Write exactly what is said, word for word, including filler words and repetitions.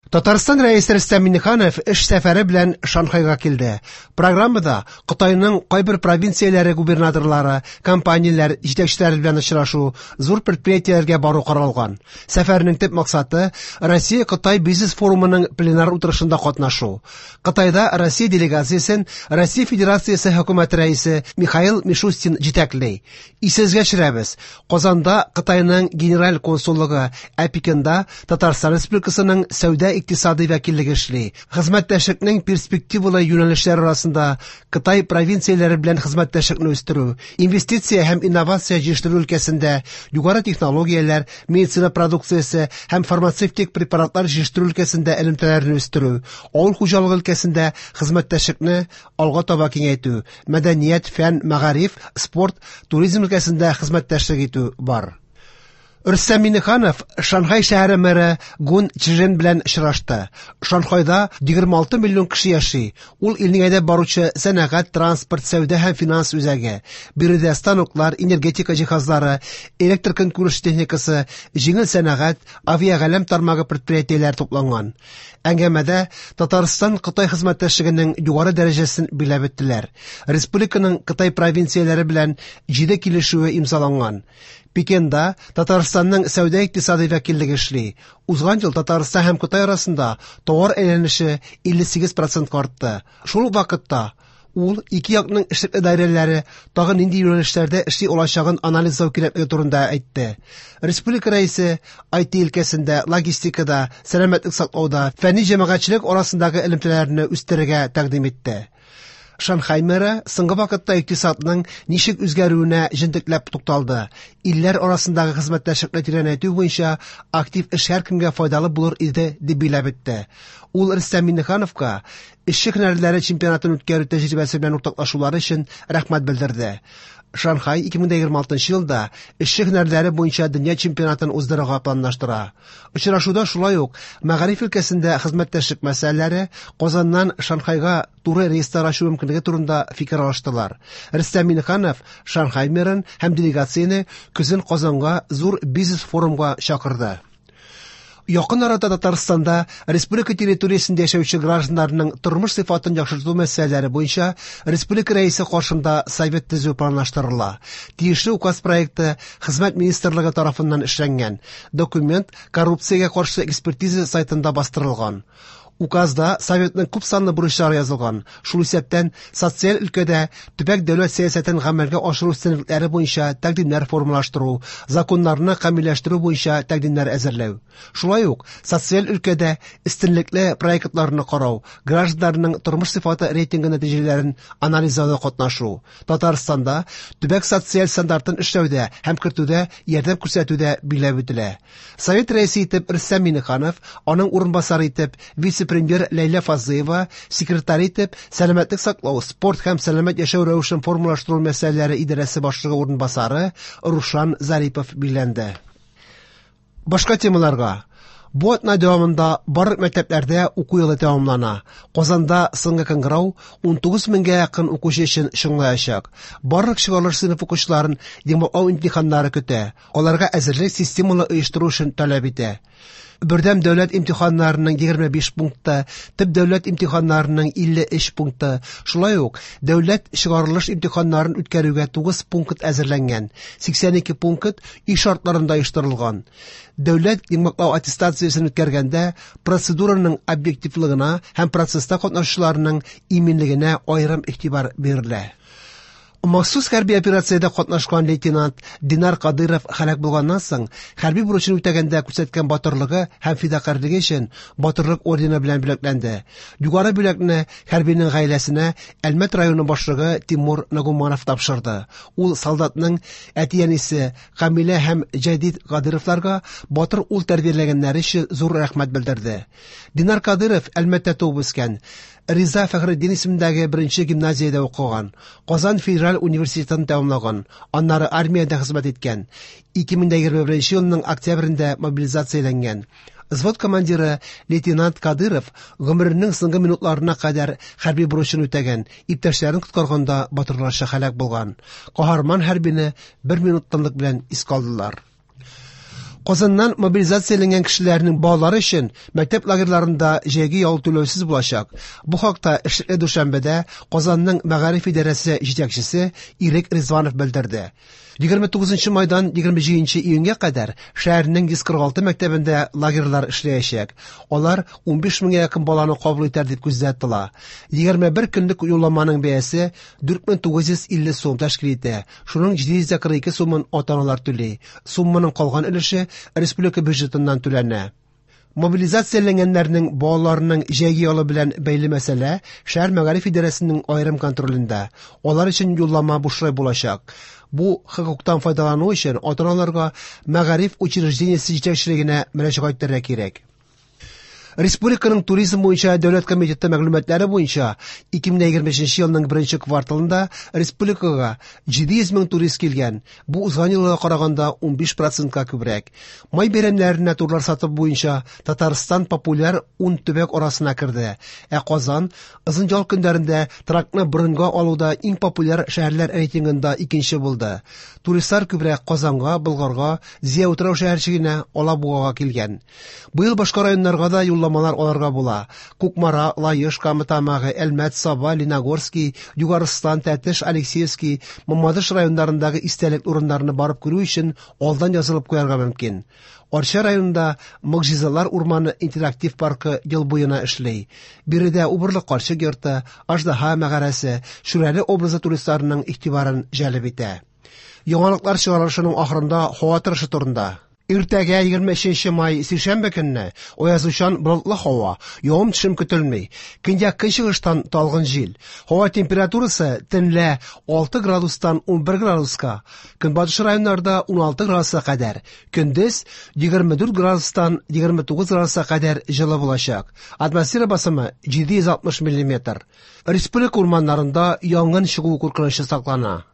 Татарстан Рәисе Рөстәм Миңнеханов эш сәфәре белән Шанхайга килде. Программада Кытайның кайбер провинцияләре губернаторлары, компанияләр җитәкчеләре белән очрашу, зур предприятиеләргә бару каралган. Сәфәрнең төп максаты Россия-Кытай бизнес форумының пленар утырышында катнашу. Кытайда Россия делегациясен Россия Федерациясе хөкүмәте рәисе Михаил Мишустин җитәкли. Исегезгә төшерәбез, Казанда Кытайның генераль консуллыгы, ә Пекинда Татарстан Республикасының сәүдә икътисади вәкиллеге эшли. Хезмәттәшлекнең перспективалы юнәлешләре арасында Кытай провинцияләре белән хезмәттәшлекне үстерү, инвестиция һәм инновация җитештерү өлкәсендә югары технологияләр, медицина продукциясе һәм фармацевтик препаратлар җитештерү өлкәсендә элемтәләрне үстерү, авыл хуҗалыгы өлкәсендә хезмәттәшлекне алга таба киңәйтү, мәдәният, фән, мәгариф, спорт, туризм өлкәсендә хезмәттәшлек итү бар. Рөстәм Миңнеханов Шанхай шәһәре мэры Гун Чжен белән очрашты. Шанхайда егерме алты миллион кеше яши. Ул илнең әйдәп баручы сәнәгать, транспорт, сәүдә һәм финанс үзәге. Биредә станоклар, энергетика җиһазлары, электр көнкүреш техникасы, җиңел сәнәгать, авиагаләм тармагы предприятиеләре тупланган. Әңгәмәдә Татарстан Кытай хезмәттәшлегенең югары дәрәҗәсен билгеләп үттеләр. Республиканың Кытай провинцияләре белән җиде килешүе имзаланган. Пекинда Татарстанның сәүдә икътисади вәкиллеге эшли. Узган ел Татарстан һәм Кытай арасында товар әйләнеше илле сигез процентка артты. Шул ук вакытта ул ике якның эшлекле даирәләре тагы нинди юнәлешләрдә эшли алачагын анализлау кирәклеге турында әйтте. Республика рәисе ай ти өлкәсендә, логистикада, сәламәтлек саклауда, фәнни җәмәгатьчелек арасындагы элемтәләрне үстерергә тәкъдим итте. Шанхай мэры соңгы вакытта икътисадның ничек үзгәрүенә җентекләп тукталды. Илләр арасындагы хезмәттәшлекне тирәнәйтү буенча актив эш һәркемгә файдалы булыр иде дип билгеләп үтте. Ул Рөстәм Миңнехановка эшче һөнәрләре чемпионатын үткәрү тәҗрибәсе белән уртаклашулары өчен рәхмәт белдерде. Шанхай ике мең егерме алтынчы елда эшче һөнәрләре буенча дөнья чемпионатын уздырырга планлаштыра. Очрашуда шулай ук мәгариф өлкәсендә хезмәттәшлек мәсьәләләре, Казаннан Шанхайга туры рейслар ачу мөмкинлеге турында фикер алыштылар. Рөстәм Миңнеханов Шанхай мэрын һәм делегацияне көзен Казанга зур бизнес-форумга чакырды. Якын арада Татарстанда республика территориясендә яшәүче гражданнарның тормыш сыйфатын яхшырту мәсьәләләре буенча республика рәисе каршында совет төзү планлаштырыла. Тиешле указ проекты Хезмәт министрлыгы тарафыннан эшләнгән. Документ коррупциягә каршы экспертиза сайтында бастырылган. Указда советның күп санлы бурычлары язылган. Шул исәптән социаль өлкәдә төбәк дәүләт сәясәтен гамәлгә ашыру өстенлекләре буенча тәкъдимнәр формалаштыру, законнарны камилләштерү буенча тәкъдимнәр әзерләү. Шулай ук социаль өлкәдә өстенлекле проектларны карау, гражданнарның тормыш сыйфаты рейтингы нәтиҗәләрен анализлауда катнашу, Татарстанда төбәк социаль стандартын эшләүдә һәм кертүдә ярдәм күрсәтүдә билгеләп үтелә. Совет рәисе итеп Рөстәм Миңнеханов, аның урынбасары итеп вице-премьер Ләйлә Фазлыева, секретарь итеп сәламәтлек саклау, спорт һәм сәламәт яшәү рәвешен формалаштыру мәсьәләләре идарәсе башлыгы урынбасары Рушан Зарипов билгеләнде. Башка темаларга. Бу атна дәвамында барлык мәктәпләрдә уку елы тәмамлана. Казанда соңгы кыңгырау ун тугыз меңгә якын укучы өчен чыңлаячак. Барлык чыгарылыш сыйныф укучыларын йомгаклау имтиханнары көтә. Аларга әзерлек системалы оештыру өчен таләп итә. Бердәм дәүләт имтиханнарының егерме биш пункты, төп дәүләт имтиханнарының илле өч пункты, шулай ук дәүләт чыгарылыш имтиханнарын үткәрүгә тугыз пункт әзерләнгән, сиксән ике пункт өй шартларында оештырылган. Дәүләт йомгаклау аттестациясен үткәргәндә процедураның объективлыгына һәм процесста катнашучыларның иминлегенә аерым игътибар бирелә. Махсус хәрби операциядә катнашкан лейтенант Динар Кадыров һәлак булганнан соң, хәрби бурычын үтәгәндә күрсәткән батырлыгы һәм фидакарьлеге өчен Батырлык ордены белән бүләкләнде. Югары бүләкне хәрбинең гаиләсенә Әлмәт районы башлыгы Тимур Нагуманов тапшырды. Ул солдатның әти-әнисе Камилә һәм Җәдид Кадыровларга батыр ул тәрбияләгәннәре өчен зур рәхмәт белдерде. Динар Кадыров Әлмәттә туып үскән. Риза Фәхретдин исемендәге беренче гимназиядә укыган, Казан федераль университетын тәмамлаган, аннары армиядә хезмәт иткән. Ике мең егерме беренче елның октябрендә мобилизацияләнгән. Взвод командиры лейтенант Кадыров гомеренең соңгы минутларына кадәр хәрби бурычын үтәгән, иптәшләрен коткарганда батырларча һәлак булган. Каһарман хәрбине бер минут тынлык белән искә алдылар. Казаннан мобилизацияләнгән кешеләрнең балалары өчен мәктәп лагерьларында җәйге ял түләүсез булачак. Бу хакта эшлекле дүшәмбедә Казанның мәгариф идарәсе җитәкчесе Ирек Ризванов белдерде. егерме тугызынчы майдан егерме җиденче июньгә кадәр шәһәрнең йөз кырык алты мәктәбендә лагерьлар эшләячәк. Алар унбиш меңгә якын баланы кабул итәр дип күздә тотыла. Егерме бер көнлек юлламаның бәясе дүрт мең тугыз йөз илле сум тәшкил итә. Шуның җиде йөз кырык ике сумын ата-аналар түли. Сумманың калган өлеше республика бюджетыннан түләнә. Мобилизацияләнгәннәрнең балаларының җәйге ялы белән бәйле мәсьәлә шәһәр мәгариф идарәсенең аерым контролендә. Алар өчен юллама бушлай булачак. Бу хокуктан файдалану өчен ата-аналарга мәгариф учреждениесе җитәкчелегенә мөрәҗәгать итәргә кирәк. Республиканың туризм буенча дәүләт комитеты мәгълүматлары буенча ике мең егерме өченче елның беренче кварталында республикага җиде йөз мең турист килгән. Бу узган елга караганда унбиш процентка күбрәк. Май бәйрәмнәренә турлар сатып буенча Татарстан популяр ун төбәк арасына керде. Ә Казан озын ял көннәрендә торакны броньга алуда иң популяр шәһәрләр рейтингында икенче булды. Туристлар күбрәк Казанга, Болгарга, Зөя утрау шәһәрчегенә, Алабугага килгән. Быел башка районнарга да юлламалар алырга була. Кукмара, Лаеш, Кама Тамагы, Әлмәт, Саба, Лениногорский, Югарыстан, Тәтеш, Алексеевский, Мамадыш районнарындагы истәлек урыннарны барып күрү өчен алдан язылып куярга мөмкин. Арча районында Могҗизалар урманы интерактив паркы ел буена эшли. Биредә Убырлы карчык йорты, Аждаһа мәгарәсе, Шүрәле образы туристларының игътибарын җәлеп итә. Яңалыклар чыгарылышының ахырында һава торышы турында. Иртәгә егерме өченче май сишәмбе көнне аязучан болытлы һава, явым-төшем көтелми. Көньяк көнчыгыштан талгын җил. Һава температурасы төнлә алты градустан унбер градуска, көнбатыш районнарда уналты градуска кадәр, көндез егерме дүрт градустан егерме тугыз градуска кадәр җылы булачак. Атмосфера басымы җиде йөз алтмыш миллиметр. Республика урманнарында янгын чыгу куркынычы саклана.